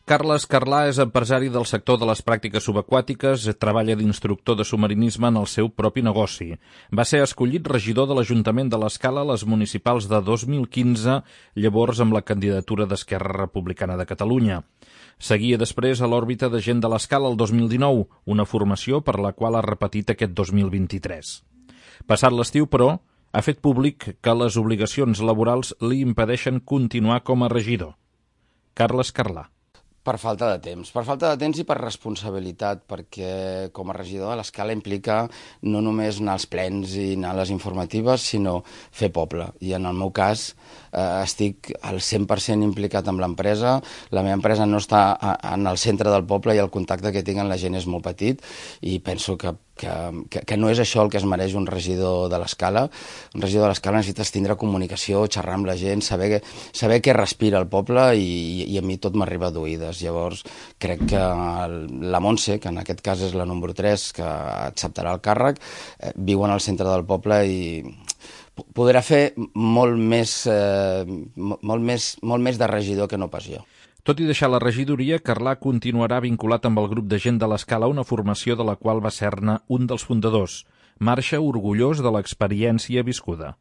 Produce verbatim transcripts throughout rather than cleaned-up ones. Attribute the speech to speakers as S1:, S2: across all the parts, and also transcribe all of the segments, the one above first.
S1: Carles Carlà és empresari del sector de les pràctiques subaquàtiques, treballa d'instructor de submarinisme en el seu propi negoci. Va ser escollit regidor de l'Ajuntament de l'Escala a les municipals de dos mil quinze, llavors amb la candidatura d'Esquerra Republicana de Catalunya. Seguia després a l'òrbita de gent de l'Escala el dos mil dinou, una formació per la qual ha repetit aquest dos mil vint-i-tres. Passat l'estiu, però, ha fet públic que les obligacions laborals li impedeixen continuar com a regidor. Carles Carlà.
S2: Per falta de temps. Per falta de temps i per responsabilitat, perquè com a regidor de l'Escala implica no només anar als plens i anar a les informatives, sinó fer poble. I en el meu cas eh, estic al cent per cent implicat amb l'empresa. La meva empresa no està a, en el centre del poble i el contacte que tinc amb la gent és molt petit i penso que Que, que, que no és això el que es mereix un regidor de l'Escala. Un regidor de l'Escala necessites tindre comunicació, xerrar amb la gent, saber, saber què respira el poble i, i a mi tot m'arriba d'oïdes. Llavors crec que la Montse, que en aquest cas és la número tres, que acceptarà el càrrec, eh, viu en el centre del poble i podrà fer molt més, eh, molt més, molt més de regidor que no pas jo.
S1: Tot i deixar la regidoria, Carlà continuarà vinculat amb el grup de gent de l'Escala, una formació de la qual va ser-ne un dels fundadors. Marxa orgullós de l'experiència viscuda.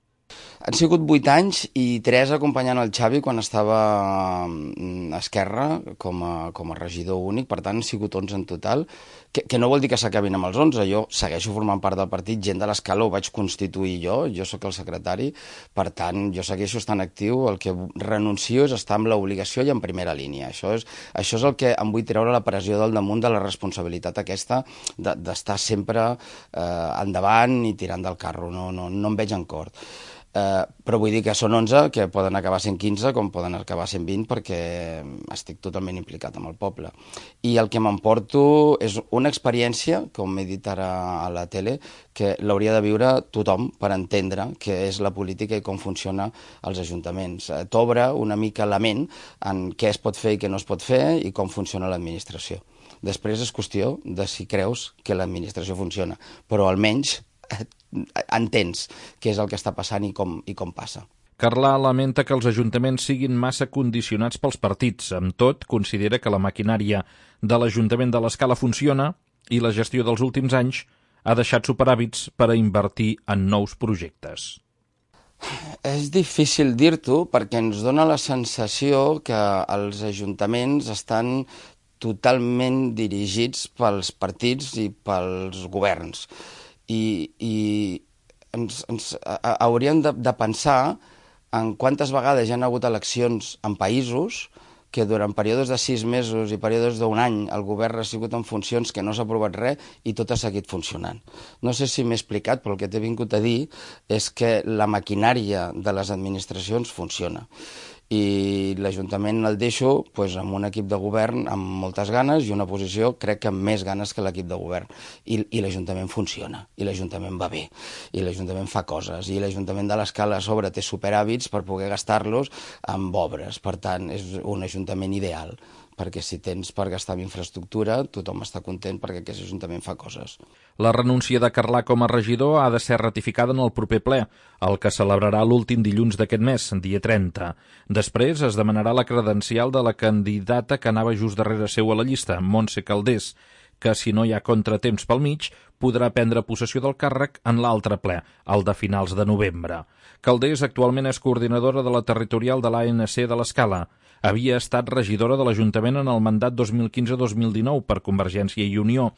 S2: Han sigut vuit anys i tres acompanyant el Xavi quan estava a Esquerra com a, com a regidor únic, per tant han sigut onze en total, que, que no vol dir que s'acabin amb els onze, jo segueixo formant part del partit, gent de l'Escala ho vaig constituir jo, jo sóc el secretari, per tant jo segueixo estant actiu, el que renuncio és estar amb l'obligació i en primera línia, això és, això és el que em vull treure la pressió del damunt de la responsabilitat aquesta d'estar sempre eh, endavant i tirant del carro, no, no, no em veig en cort. Uh, però vull dir que són onze, que poden acabar sent quinze, com poden acabar sent vint, perquè estic totalment implicat amb el poble. I el que m'emporto és una experiència, com he dit ara a la tele, que l'hauria de viure tothom per entendre què és la política i com funciona els ajuntaments. Uh, T'obre una mica la ment en què es pot fer i què no es pot fer i com funciona l'administració. Després és qüestió de si creus que l'administració funciona, però almenys entens què és el que està passant i com, i com passa.
S1: Carlà lamenta que els ajuntaments siguin massa condicionats pels partits. Amb tot, considera que la maquinària de l'Ajuntament de l'Escala funciona i la gestió dels últims anys ha deixat superàvits per a invertir en nous projectes.
S2: És difícil dir-t'ho perquè ens dona la sensació que els ajuntaments estan totalment dirigits pels partits i pels governs. I, i ens, ens a, hauríem de, de pensar en quantes vegades hi ha hagut eleccions en països que durant períodes de sis mesos i períodes d'un any el govern ha sigut en funcions que no s'ha aprovat res i tot ha seguit funcionant. No sé si m'he explicat, però el que t'he vingut a dir és que la maquinària de les administracions funciona. I l'Ajuntament el deixo pues, amb un equip de govern amb moltes ganes i una posició crec que amb més ganes que l'equip de govern. I, i l'Ajuntament funciona, i l'Ajuntament va bé, i l'Ajuntament fa coses, i l'Ajuntament de l'Escala a sobre té superàvits per poder gastar-los amb obres. Per tant, és un Ajuntament ideal, perquè si tens per gastar en infraestructura, tothom està content perquè aquest Ajuntament fa coses.
S1: La renúncia de Carlà com a regidor ha de ser ratificada en el proper ple, el que celebrarà l'últim dilluns d'aquest mes, dia trenta. Després es demanarà la credencial de la candidata que anava just darrere seu a la llista, Montse Calders, que si no hi ha contratemps pel mig, podrà prendre possessió del càrrec en l'altre ple, el de finals de novembre. Calders actualment és coordinadora de la territorial de l'A N C de l'Escala. Havia estat regidora de l'Ajuntament en el mandat dos mil quinze dos mil dinou per Convergència i Unió,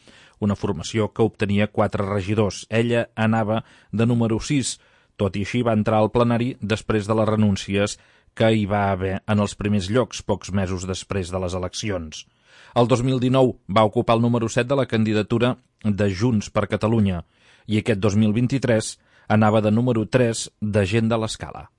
S1: una formació que obtenia quatre regidors. Ella anava de número sis, tot i així va entrar al plenari després de les renúncies que hi va haver en els primers llocs, pocs mesos després de les eleccions. El dos mil dinou va ocupar el número set de la candidatura de Junts per Catalunya i aquest dos mil vint-i-tres anava de número tres de gent de l'Escala.